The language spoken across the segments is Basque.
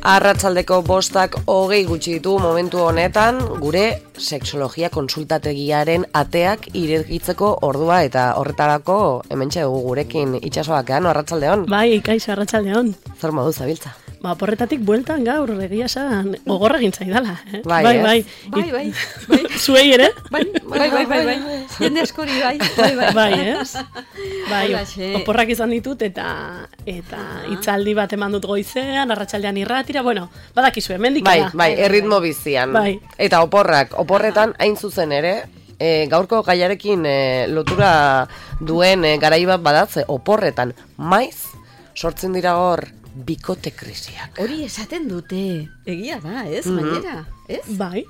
Arratsaldeko 5:20 gutxi ditu momentu honetan, gure sexologia konsultategiaren ateak irekitzeko ordua eta horretarako hementxe dugu gurekin Itsasoakean, arratsaldeon. Bai, kaixo arratsaldeon. Zer modu zabiltza? Porretatik bueltan gaur, egia esan, gogorra egin zaidala. Bai. Zuei ere? Bai. Jende askori, bai. Bai, oporrak izan ditut eta hitzaldi bat eman dut goizean, arratsaldean irratira, bueno, badakizu, hemendik da. Bai, erritmo bizian. Bai. Eta oporretan hain zuzen ere, gaurko gaiarekin lotura duen garai bat badatze, oporretan maiz sortzen dira hor bikote krisiak. Hori esaten dute, egia da, ez, gainera, ez? Bai,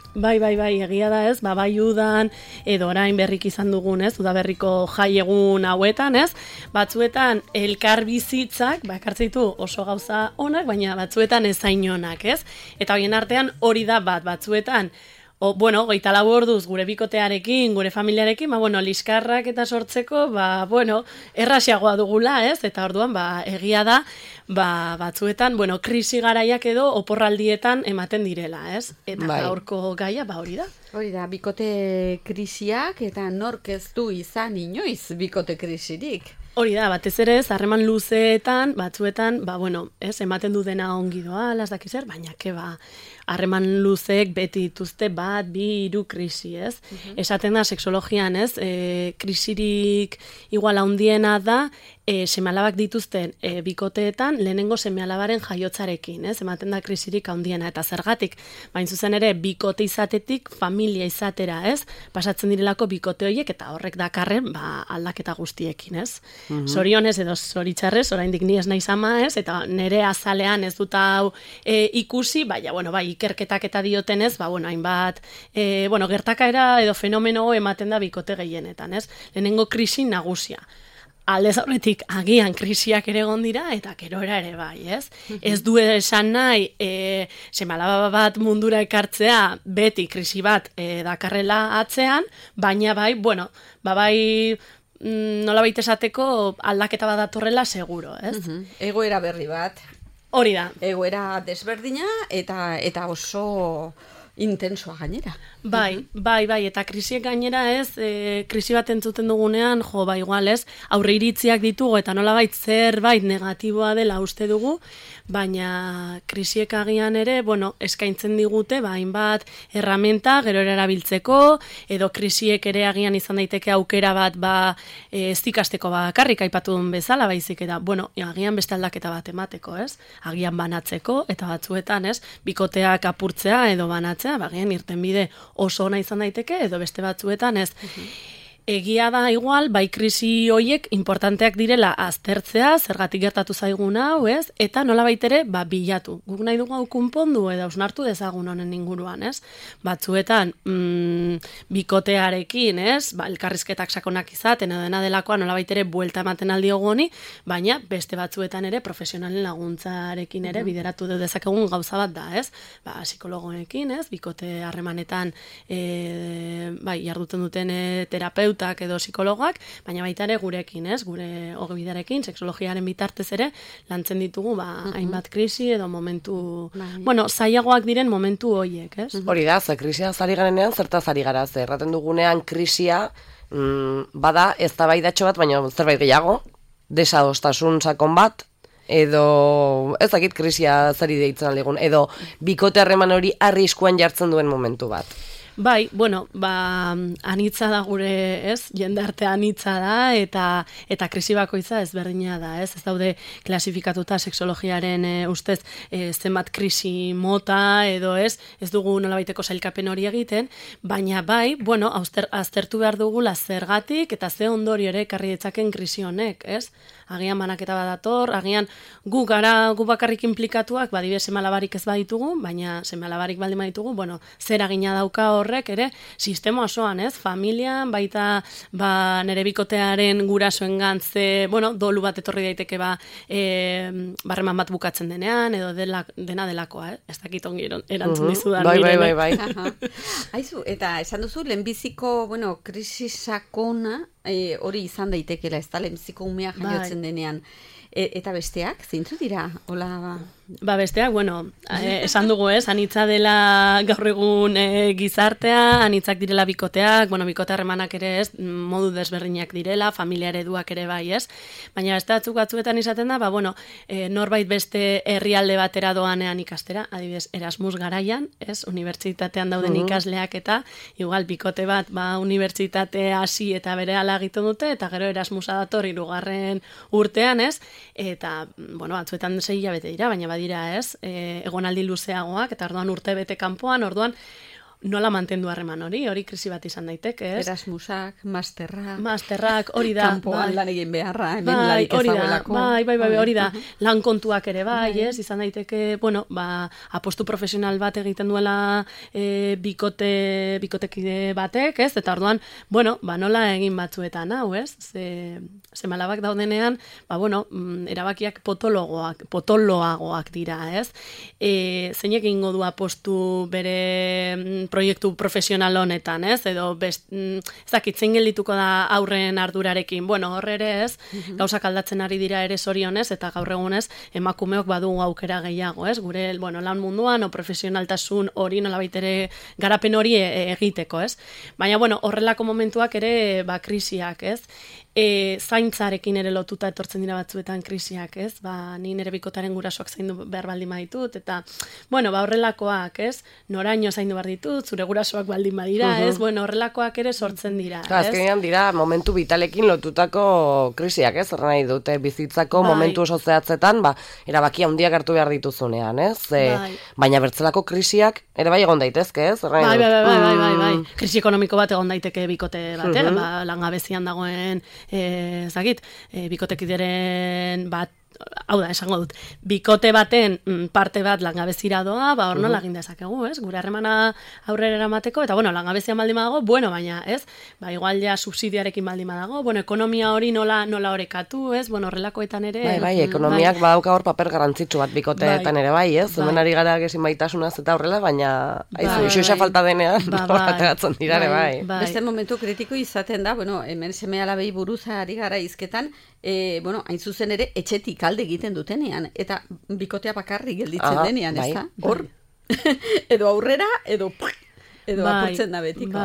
egia da, ez, bai udan, edo orain berrik izan dugun, ez, udaberriko jai egun hauetan, ez, batzuetan elkar bizitzak, ekartzeitu oso gauza onak, baina batzuetan ezain onak, ez? Eta horien artean hori da batzuetan, 24 orduz gure bikotearekin, gure familiarekin, liskarrak eta sortzeko, errasiagoa dugula, ez? Eta orduan, egia da, batzuetan, krisi garaiak edo oporraldietan ematen direla, ez? Eta gaurko gaia, hori da. Hori da, bikote krisiak eta nork ez du izan inoiz bikote krisirik. Hori da, batez ere, harreman luzeetan, batzuetan, ez, ematen du dena ongi doa, las dakizer, baina harreman luzeek beti dituzte 1, 2, 3 krisi, ez? Esaten da, sexologian, ez, krisirik igual handiena da, seme-alabak dituzten bikoteetan lehenengo seme-alabaren jaiotzarekin, ez? Ematen da krisirik handiena, eta zergatik, bain zuzen ere, bikote izatetik familia izatera, ez? Pasatzen direlako bikote horiek, eta horrek dakarren, aldaketa guztiekin, ez? Zorionez edo zoritxarrez, oraindik ni ez naiz ama, ez? Eta nere azalean ez dut hau ikusi, ikerketak eta diotenez, hainbat, gertakaera edo fenomeno ematen da bikote gehienetan, ez? Lehenengo krisi nagusia. Aldez aurretik agian krisiak ere egon dira eta gerora ere bai, ez? Ez du esan nahi seme-alaba bat mundura ekartzea beti krisi bat dakarrela atzean, baina nolabait esateko aldaketa bat datorrela seguro, ez? Egoera berri bat. Hori da. Egoera desberdina eta oso intensoa gainera. Bai, eta krisiek gainera ez, krisi bat entzuten dugunean, igual ez, aurre iritziak ditugu eta nolabait zerbait negatiboa dela uste dugu, baina krisiek agian ere, eskaintzen digute, hainbat erramenta gero erabiltzeko, edo krisiek ere agian izan daiteke aukera bat, ez ikasteko bakarrik aipatu duen bezala, baizik eta, agian beste aldaketa bat emateko, ez? Agian banatzeko, eta batzuetan, ez? Bikoteak apurtzea edo banatzea, agian irten bide oso ona izan daiteke, edo beste batzuetan, ez? Egia da igual, krisi hoiek importanteak direla aztertzea, zergatik gertatu zaigun hau, ez? Eta nolabait ere, bilatu. Guk nahi dugu hau konpondu edo hausnartu dezagun honen inguruan, ez? Batzuetan, bikotearekin, ez? Elkarrizketak sakonak izaten edo dena delakoa nolabait ere buelta ematen aldiogu honi, baina beste batzuetan ere profesionalen laguntzarekin ere bideratu dezakegun gauza bat da, ez? Psikologoekin, ez? Bikote harremanetan jarduten duten terapeutak edo psikologak, baina baita ere gurekin, ez? Gure ogibidarekin, sexologiaren bitartez ere, lantzen ditugu, hainbat krisi edo momentu, zailagoak diren momentu hoiek, ez? Hori da, krisia zari garenean, zertaz ari gara, erraten dugunean krisia, bada eztabaidatxo bat, baina zerbait gehiago, desadostasun sakon bat, edo ez dakit krisia zari deitzen aldigun, edo bikote harreman hori arriskuan jartzen duen momentu bat. Bai, anitza da gure, ez? Jendarte anitza da eta krisi bakoitza ezberdina da, ez? Ez daude klasifikatuta sexologiaren ustez zenbat krisi mota edo ez dugu nolabaiteko sailkapen hori egiten, baina aztertu behar dugula zergatik eta ze ondorio ere ekarri ditzaken krisi honek, ez? Agian banaketa bat dator, agian gu bakarrik implikatuak, seme-alabarik ez baditugu, baina seme-alabarik baldin baditugu, zer agina dauka horrek ere, sistema osoan, ez? Familian, baita nere bikotearen gurasoen gantze, dolu bat etorri daiteke barreman bat bukatzen denean, edo dena delakoa, ez dakit ongi erantzun dizudan. Bai. Aizu, eta esan duzu, lehenbiziko, krisi sakona, hori izan daitekela, ez da, lehenbiziko umea jaiotzen denean. Eta besteak, zeintzu dira? Hola, Besteak, bueno, esan dugu anitza dela gaur egun gizartea, anitzak direla bikoteak, bueno, bikote harremanak ere modu desberdinak direla, familia ereduak ere bai, baina beste batzuetan izaten da, bueno, norbait beste herrialde batera doanean ikastera, adibidez, Erasmus garaian, unibertsitatean dauden ikasleak eta, igual, bikote bat, unibertsitate hasi eta berehala egiten dute, eta gero Erasmusa dator 3. urtean, eta, bueno, batzuetan 6 hilabete dira, baina badira egonaldi luzeagoak, eta orduan urtebete kanpoan, orduan nola mantendu harreman hori krisi bat izan daiteke, Erasmusak, masterrak, hori da. Kanpoan lan egin beharra, hemen larik ez dagoelako. Bai, hori da. Lan kontuak ere bai, izan daiteke, bueno, apostu profesional bat egiten duela bikotekide batek, eta orduan, bueno, nola egin batzuetan, hau, ze malabak daudenean, bueno, erabakiak potoloagoak dira, zeinek egingo du apostu bere proiektu profesional honetan, edo zein geldituko da aurren ardurarekin. Bueno, horre ere gauzak aldatzen ari dira ere zorionez, eta gaur egunez emakumeok badugu aukera gehiago, gure lan munduan, o profesionaltasun hori nolabait ere garapen hori egiteko, Baina, bueno, horrelako momentuak ere, krisiak, zaintzarekin ere lotuta etortzen dira batzuetan krisiak, ni nire bikotaren gurasoak zaindu behar baldin baditut, eta, bueno, horrelakoak, noraino zaindu behar ditut, zure gurasoak baldin badira, bueno, horrelakoak ere sortzen dira, Azkenean dira momentu vitalekin lotutako krisiak, horren nahi dute bizitzako momentu oso zehatzetan, erabaki handiak hartu behar dituzunean, baina bertzelako krisiak ere bai egon daitezke, Bai. Krisi ekonomiko bat egon daiteke bikote batean, langabezian dagoen bikotekideren bat, hau da, esango dut, bikote baten parte bat langabezira doa, hor nola egin dezakegu, gure harremana aurrera eramateko, eta, bueno, langabezian baldin badago, bueno, baina, igual ja subsidiarekin baldin badago, bueno, ekonomia hori nola orekatu, bueno, horrelakoetan ere. Bai, ekonomiak badauka hor paper garantzitsu bat bikoteetan ere bai, hemen ari gara gezin baitasunaz eta horrela, baina, isoisa falta denean, ateratzen dira ere bai. Beste momentu kritiko izaten da, bueno, hemen seme-alabei buruz ari gara hizketan, bueno, hain zuzen ere, etxetik alde egiten dutenean, eta bikotea bakarrik gelditzen denean, ez da? Hor, edo aurrera, edo apurtzen da betiko,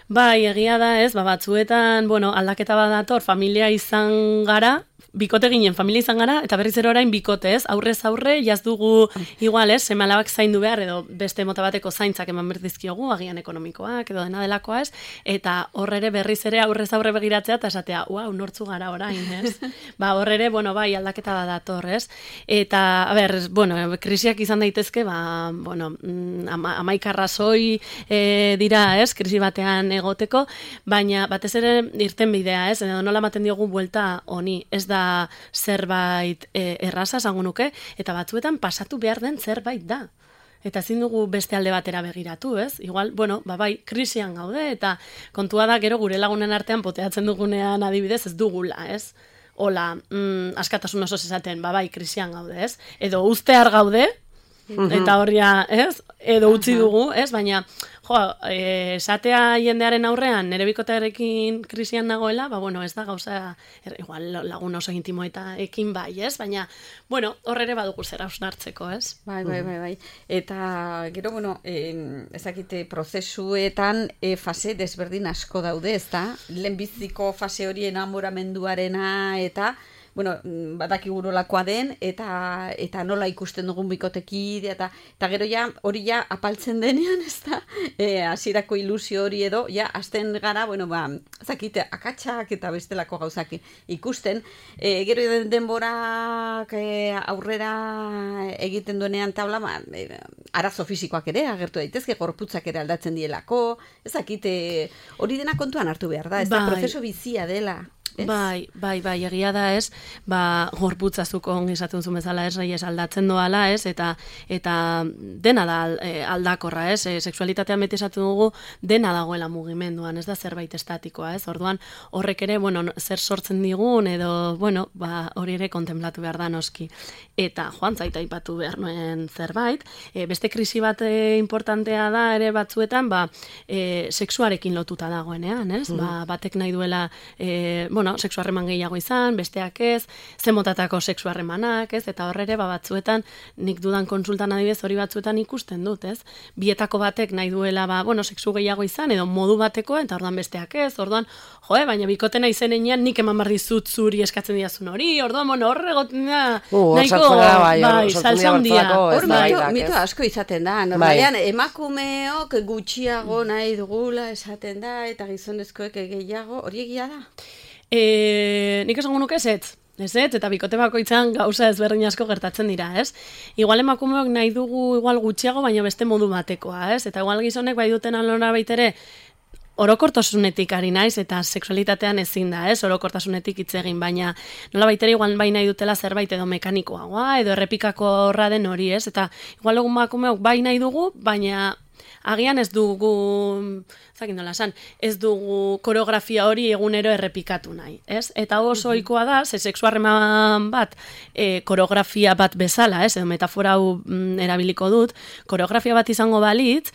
Bai, egia da, batzuetan, bueno, aldaketa bat dator, familia izan gara, bikote ginen, familia izan gara, eta berriz ere orain bikote, aurrez aurre, jaz dugu igual, seme-alabak zaindu behar, edo beste mota bateko zaintzak eman berdizkiogu, agian ekonomikoak, edo dena delakoa, eta horre berriz ere aurrez aurre begiratzea, eta esatea, nortzu gara orain, horre ere, bueno, bai, aldaketa bat dator, eta, bueno, krisiak izan daitezke, bueno, 11 arrazoi dira, krisi batean egoteko, baina batez ere irten bidea, edo nola ematen diogu buelta honi, ez da zerbait erraza esango nuke, eta batzuetan pasatu behar den zerbait da. Eta ezin dugu beste alde batera begiratu, Igual, bueno, bai, krisian gaude, eta kontua da gero gure lagunen artean poteatzen dugunean adibidez ez dugula, Hola, askatasun oso esaten, bai, krisian gaude, Edo ustear gaude, eta horria, Edo utzi dugu, Baina, esatea jendearen aurrean, nire bikotearekin krisian nagoela, bueno, ez da gauza, igual lagun oso intimoekin bai, baina, bueno, horre badugu zer hausnartzeko, Bai. Eta, gero, bueno, ezakite prozesuetan fase desberdin asko daude, ez da? Lehenbiziko fase hori enamoramenduarena, eta, bueno, badakigu nolakoa den, eta nola ikusten dugun bikotekide, eta gero ja, hori ja apaltzen denean, ez da, hasierako ilusio hori edo, ja, hasten gara, bueno, zakite, akatsak eta bestelako gauzak ikusten, gero denborak aurrera egiten duenean tabla, arazo fisikoak ere, agertu daitezke, gorputzak ere aldatzen dielako, zakite, hori dena kontuan hartu behar da, ez da, prozeso bizia dela. Bai, egia da gorputzazuko ongi esaten zuen bezala aldatzen doala, eta dena da aldakorra, sexualitatean beti esaten dugu dena dagoela mugimenduan, ez da zerbait estatikoa, orduan horrek ere, bueno, zer sortzen digun, edo, bueno, hori ere kontemplatu behar da noski. Eta joan zaita aipatu behar nuen zerbait, beste krisi bat importantea da ere batzuetan, sexuarekin lotuta dagoenean, batek nahi duela, sexu harreman gehiago izan, besteak ez, zemotatako sexu harremanak, ez, eta horre batzuetan, nik dudan konsultan adibidez hori batzuetan ikusten dut, ez, bietako batek nahi duela, sexu gehiago izan, edo modu bateko, eta orduan besteak ez, orduan, baina bikotena izenean nik eman behar dizut zuri eskatzen diazun hori, orduan, horre goten da, nahiko, salsa handia. Hor mito asko izaten da, normalean emakumeok gutxiago nahi dugula esaten da, eta gizonezkoek gehiago, hori egia da? Nik esango nuke ez, eta bikote bakoitzan gauza ezberdin asko gertatzen dira, ez? Igual emakumeok nahi dugu igual gutxiago, baina beste modu batekoa, ez? Eta igual gizonek bai duten alora baitere, orokortasunetik ari naiz, eta sexualitatean ezin da, ez? Orokortasunetik hitz egin, baina nola baitere igual bai nahi dutela zerbait edo mekanikoagoa, edo errepikako horra den hori, ez? Eta igual egun emakumeok bai nahi dugu, baina agian ez dugu, ez dugu koreografia hori egunero errepikatu nahi, ez? Eta oso ohikoa da, sexu harreman bat, koreografia bat bezala, ez? Edo metafora hau erabiliko dut, koreografia bat izango balitz,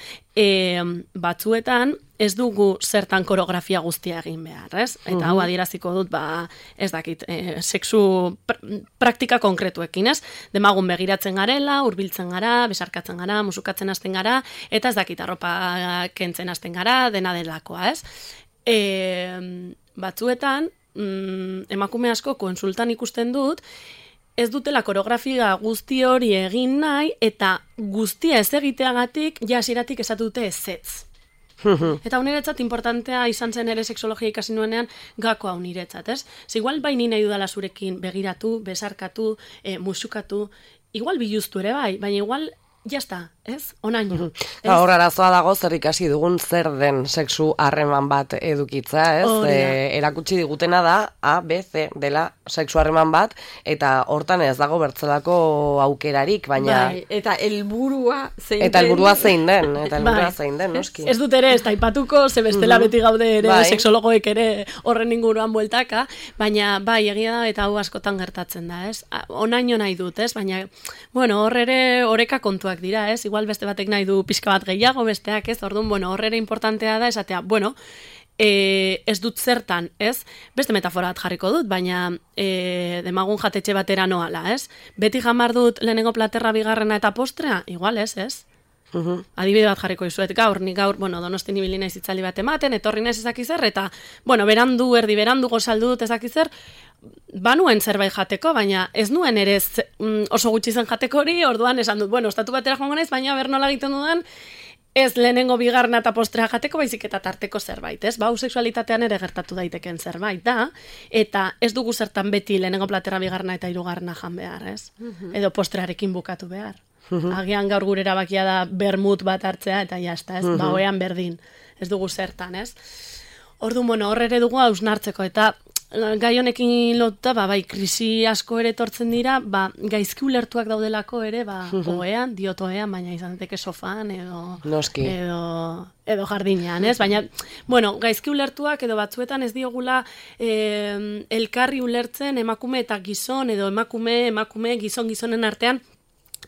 batzuetan ez dugu zertan koreografia guztia egin behar, ez? Eta hau adieraziko dut, ez dakit, sexu praktika konkretuekin, ez? Demagun begiratzen garela, hurbiltzen gara, besarkatzen gara, musukatzen hasten gara, eta ez dakit, arropa kentzen hasten gara, dena delakoa, ez? Batzuetan, emakume asko konsultan ikusten dut, ez dutela koreografia guzti hori egin nahi, eta guztia ez egiteagatik, jasiratik esatu dute ezetz. Eta uniretzat importantea izan zen ere sexologia ikasi nuenean gakoa uniretzat, ez? Igual baini nahi dudala zurekin begiratu, besarkatu, musukatu, igual biluztu ere bai, baina igual jazta, ez? Onaino. Hor arazoa dago zer ikasi dugun zer den sexu harreman bat edukitza, ez? Erakutsi digutena da A, B, C dela sexu harreman bat, eta hortan ez dago bertzelako aukerarik, baina... Bai, eta helburua zein den. Eta helburua zein den, noski. Ez dut ere, ez taipatuko, ze bestela beti gaude ere, sexologoek ere horren inguruan bueltaka, baina bai, egia da, eta hau askotan gertatzen da, ez? Onaino nahi dut, ez? Baina, hor ere oreka kontua dira, ez? Igual beste batek nahi du pixka bat gehiago, besteak ez, orduan, horrera importantea da, esatea, ez dut zertan, ez? Beste metafora bat jarriko dut, baina demagun jatetxe batera noala, ez? Beti jamar dut lehenengo platerra, bigarrena eta postrea, igual ez? Adibide bat jarriko izuet, nik gaur, Donostin ibili naiz itzali bat ematen, etorri naiz ezakizer, eta, erdi berandu gozaldu dut ezakizer, banuen zerbait jateko, baina ez nuen ere oso gutxi zen jateko hori, orduan esan dut, estatu batera joango naiz, baina bernola egiten dudan, ez lehenengo bigarna eta postrea jateko, baizik eta tarteko zerbait, ez? Hau sexualitatean ere gertatu daiteken zerbait da, eta ez dugu zertan beti lehenengo platera bigarna eta hirugarrena jan behar, ez? Edo postrearekin bukatu behar. Agian gaur gure erabakia da bermut bat hartzea, eta jazta, ez? Oean berdin, ez dugu zertan, ez? Orduan, hor ere dugu hausnartzeko, eta gai honekin lotuta, krisi asko ere etortzen dira, gaizki ulertuak daudelako ere, oean, baina izan daiteke sofan, edo jardinean, ez? Baina, gaizki ulertuak edo batzuetan ez diogula elkarri ulertzen emakume eta gizon, edo emakume, gizonen artean,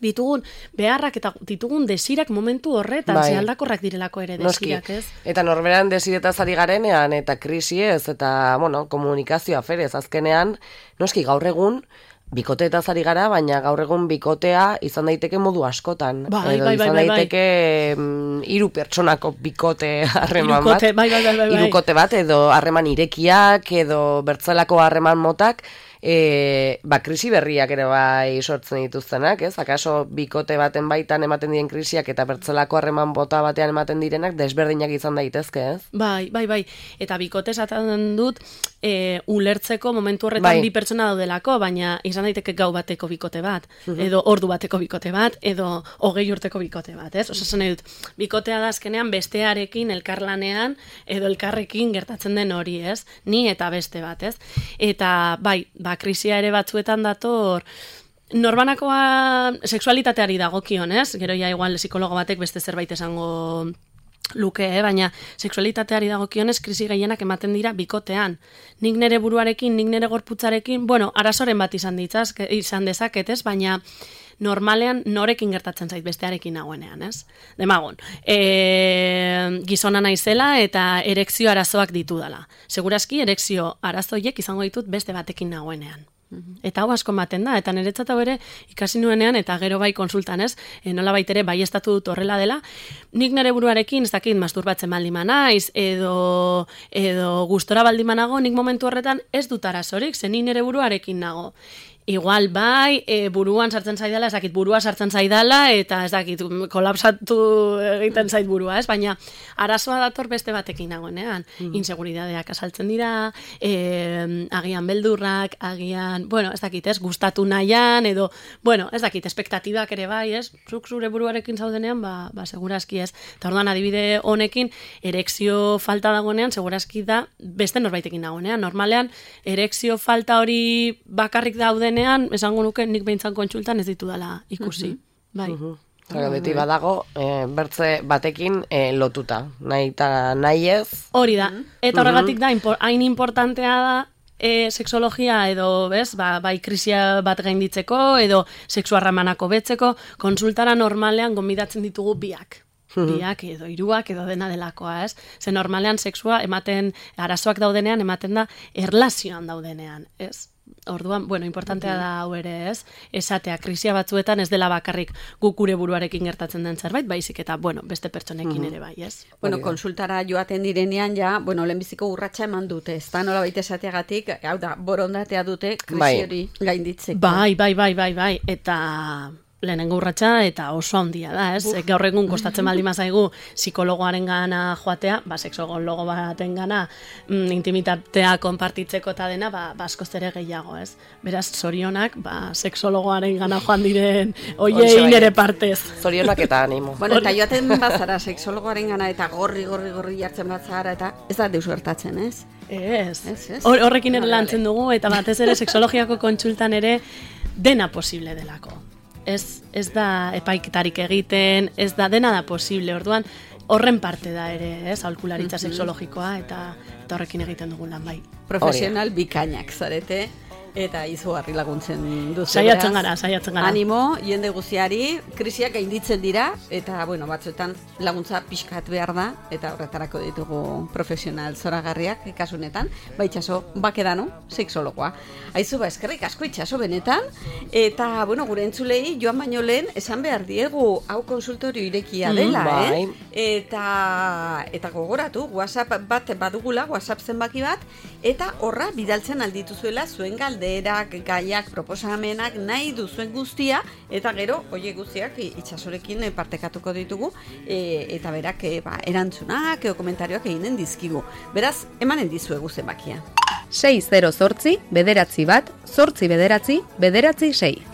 ditugun beharrak eta ditugun desirak momentu horretan, ze aldakorrak direlako ere desirak, ez? Eta norberan desiretaz ari garenean, eta krisi ez, eta, komunikazioa ferez, azkenean, noski gaur egun, bikoteetaz ari gara, baina gaur egun bikotea izan daiteke modu askotan. Izan daiteke 3 pertsonako bikote harreman bat. Hirukote bat, edo harreman irekiak, edo bertzelako harreman motak, krisi berriak ere bai sortzen dituztenak, ez? Akaso bikote baten baitan ematen diren krisiak eta bertzelako harreman bota batean ematen direnak desberdinak izan daitezke, ez? Bai. Eta bikote esaten dut ulertzeko momentu horretan 2 pertsona daudelako, baina izan daiteke gau bateko bikote bat, edo ordu bateko bikote bat, edo 20 urteko bikote bat, ez? Osasun dut, bikotea da azkenean bestearekin elkarlanean edo elkarrekin gertatzen den hori, ez? Ni eta beste bat, ez? Eta krisia ere batzuetan dator norbanakoa sexualitateari dagokion, ez? Gero ja igual psikologo batek beste zerbait esango luke, baina sexualitateari dagokionez krisi gehienak ematen dira bikotean. Nik nere buruarekin, nik nere gorputzarekin, arazoren bat izan dezaket, ez? Baina normalean norekin gertatzen zait bestearekin nagoenean, ez? Demagun, gizona naizela eta erekzio arazoak ditudala. Segurazki erekzio arazoiek izango ditut beste batekin nagoenean. Eta hau asko ematen da, eta niretzat hau ere ikasi nuenean, eta gero bai konsultan ez, nola baitere bai estatu dut horrela dela, nik nire buruarekin, ez dakit, masturbatzen baldima naiz, edo gustora baldima nago, nik momentu horretan ez dut arazorik, zen nire buruarekin nago. Igual bai, buruan sartzen zaidala, ez dakit, burua sartzen zaidala, eta ez dakit, kolapsatu egiten zait burua, ez? Baina arazoa dator beste batekin nagoenean. Inseguridadeak asaltzen dira, agian beldurrak, agian, bueno, ez dakit, ez, gustatu nahian, edo, bueno, ez dakit, espektatibak ere bai, ez? Zuk zure buruarekin zaudenean, ba segurazki ez. Eta orduan adibide honekin, erekzio falta dagoenean, segurazki da beste norbaitekin dagoenean. Normalean, erekzio falta hori bakarrik dauden esango nuke nik behintzan kontsultan ez ditudala ikusi. Bai. Beti badago, bertze batekin lotuta. Nahi eta nahi ez. Hori da. Eta horregatik da, hain importantea da sexologia edo, bez, bai krisia bat gainditzeko edo sexu harremanak hobetzeko, konsultara normalean gonbidatzen ditugu biak. Biak edo hiruak edo dena delakoa, ez? Ze normalean sexua ematen, arazoak daudenean, ematen da erlazioan daudenean, ez? Orduan, bueno, importantea da hau ere, ez? Esatea, krisia batzuetan ez dela bakarrik guk gure buruarekin gertatzen den zerbait, baizik eta, bueno, beste pertsonekin ere bai, ez? Bueno, konsultara joaten direnean ja, bueno, lehenbiziko urratsa eman dute, ez da, nola baita esateagatik, hau da, borondatea dute krisi hori gainditzeko. Bai, eta lehenengo urratsa eta oso handia da, ez? Gaur egun kostatzen baldin bazaigu psikologoaren gana joatea, sexologo baten gana intimitatea konpartitzeko eta dena, askoz ere gehiago, ez? Beraz, zorionak, sexologoaren gana joan diren oiei nere partez. Zorionak eta animo. Bueno, eta joaten bazara sexologoaren gana eta gorri jartzen bazara eta ez da deus gertatzen, ez? Ez. Horrekin ere lantzen dugu eta batez ere sexologiako kontsultan ere dena posible delako. Ez da epaiketarik egiten, ez da dena da posible, orduan horren parte da ere, ez, aholkularitza sexologikoa eta horrekin egiten dugun lan bai. Profesional bikainak zarete eta izugarri laguntzen duzu. Saiatzen gara. Animo, jende guztiari, krisiak gainditzen dira eta, bueno, batzuetan laguntza pixkat behar da eta horretarako ditugu profesional zoragarriak ikasunetan, itxaso bakedano, sexologoa. Aizu, eskerrik asko itxaso benetan, eta, bueno, gure entzulei joan baino lehen esan behar diegu hau konsultorio irekia dela, Eta gogoratu, WhatsApp bat badugula, WhatsApp zenbaki bat, eta horra bidaltzen aldituzuela zuen galderak, gaiak, proposamenak, nahi duzuen guztia, eta gero, oie guztiak itxasorekin partekatuko ditugu, eta berak erantzunak, komentarioak eginen dizkigu. Beraz, emanen dizuegu zenbakia. 608 bederatzi bat, 8 bederatzi, bederatzi 6.